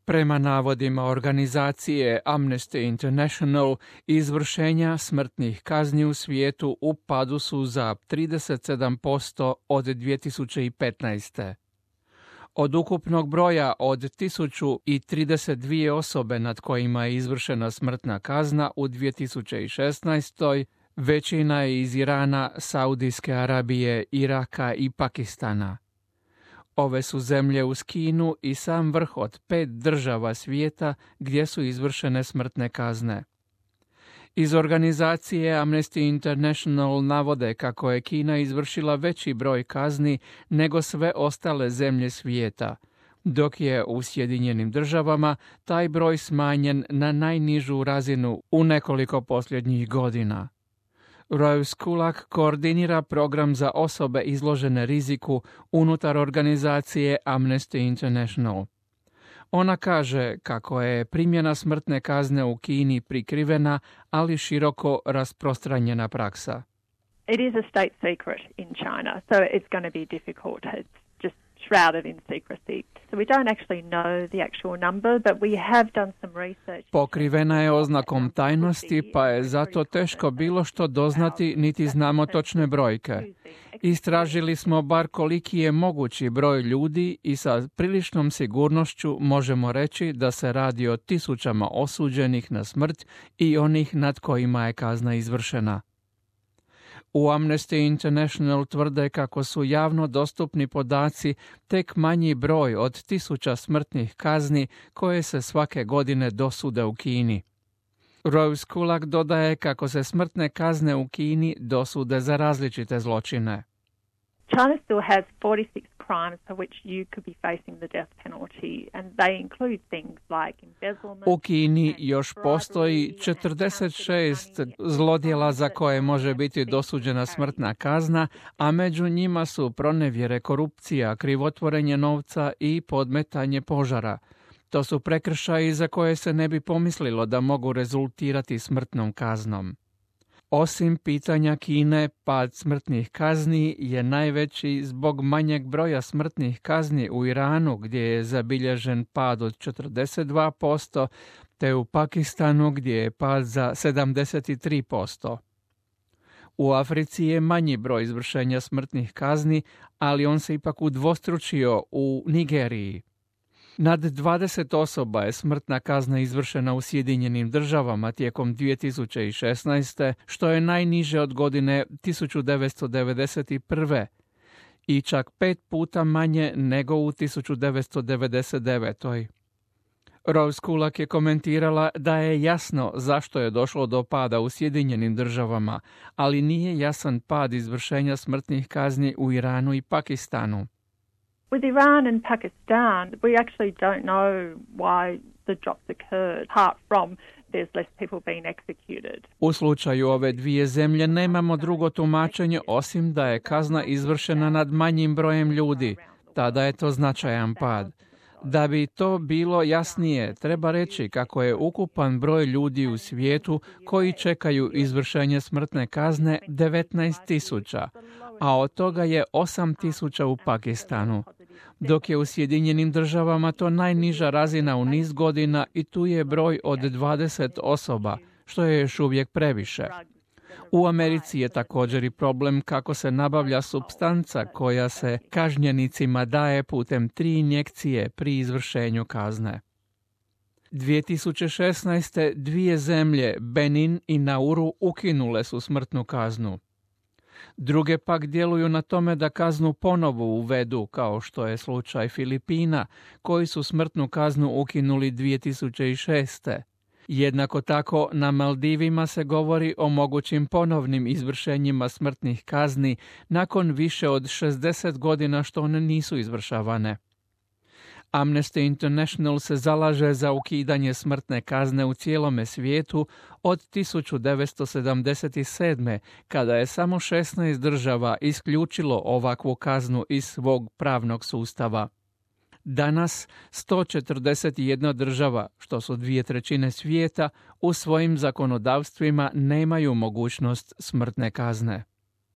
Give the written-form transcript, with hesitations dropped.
Prema navodima organizacije Amnesty International, izvršenja smrtnih kazni u svijetu u padu su za 37% od 2015. Od ukupnog broja od 1032 osobe nad kojima je izvršena smrtna kazna u 2016. većina je iz Irana, Saudijske Arabije, Iraka i Pakistana. Ove su zemlje uz Kinu i sam vrh od 5 država svijeta gdje su izvršene smrtne kazne. Iz organizacije Amnesty International navode kako je Kina izvršila veći broj kazni nego sve ostale zemlje svijeta, dok je u Sjedinjenim Državama taj broj smanjen na najnižu razinu u nekoliko posljednjih godina. Rose Kulak koordinira program za osobe izložene riziku unutar organizacije Amnesty International. Ona kaže kako je primjena smrtne kazne u Kini prikrivena, ali široko rasprostranjena praksa. It is a state secret in China, so it's going to be difficult. It's just shrouded in secrecy. So we don't actually know the actual number, but we have done some research. Pokrivena je oznakom tajnosti, pa je zato teško bilo što doznati, niti znamo točne brojke. Istražili smo bar koliki je mogući broj ljudi i sa priličnom sigurnošću možemo reći da se radi o tisućama osuđenih na smrt i onih nad kojima je kazna izvršena. U Amnesty International tvrde kako su javno dostupni podaci tek manji broj od 1000 smrtnih kazni koje se svake godine dosude u Kini. Rose Kulak dodaje kako se smrtne kazne u Kini dosude za različite zločine. China still has 46 crimes for which you could be facing the death penalty, and they include things like embezzlement. U Kini još postoji 46 zlodjela za koje može biti dosuđena smrtna kazna, a među njima su pronevjere, korupcija, krivotvorenje novca i podmetanje požara. To su prekršaji za koje se ne bi pomislilo da mogu rezultirati smrtnom kaznom. Osim pitanja Kine, pad smrtnih kazni je najveći zbog manjeg broja smrtnih kazni u Iranu, gdje je zabilježen pad od 42%, te u Pakistanu gdje je pad za 73%. U Africi je manji broj izvršenja smrtnih kazni, ali on se ipak udvostručio u Nigeriji. Nad 20 osoba je smrtna kazna izvršena u Sjedinjenim Državama tijekom 2016. što je najniže od godine 1991. i čak 5 puta manje nego u 1999. Rose Kulak je komentirala da je jasno zašto je došlo do pada u Sjedinjenim Državama, ali nije jasan pad izvršenja smrtnih kazni u Iranu i Pakistanu. With Iran and Pakistan, we actually don't know why the drops occurred, apart from there's less people being executed. U slučaju ove dvije zemlje nemamo drugo tumačenje osim da je kazna izvršena nad manjim brojem ljudi. Tada je to značajan pad. Da bi to bilo jasnije, treba reći kako je ukupan broj ljudi u svijetu koji čekaju izvršenje smrtne kazne 19.000, a od toga je 8.000 u Pakistanu, dok je u Sjedinjenim Državama to najniža razina u niz godina i tu je broj od 20 osoba, što je još uvijek previše. U Americi je također i problem kako se nabavlja supstanca koja se kažnjenicima daje putem 3 injekcije pri izvršenju kazne. 2016. dvije zemlje, Benin i Nauru, ukinule su smrtnu kaznu. Druge pak djeluju na tome da kaznu ponovo uvedu, kao što je slučaj Filipina, koji su smrtnu kaznu ukinuli 2006. Jednako tako, na Maldivima se govori o mogućim ponovnim izvršenjima smrtnih kazni nakon više od 60 godina što one nisu izvršavane. Amnesty International se zalaže za ukidanje smrtne kazne u cijelome svijetu od 1977. kada je samo 16 država isključilo ovakvu kaznu iz svog pravnog sustava. Danas 141 država, što su 2/3 svijeta, u svojim zakonodavstvima nemaju mogućnost smrtne kazne.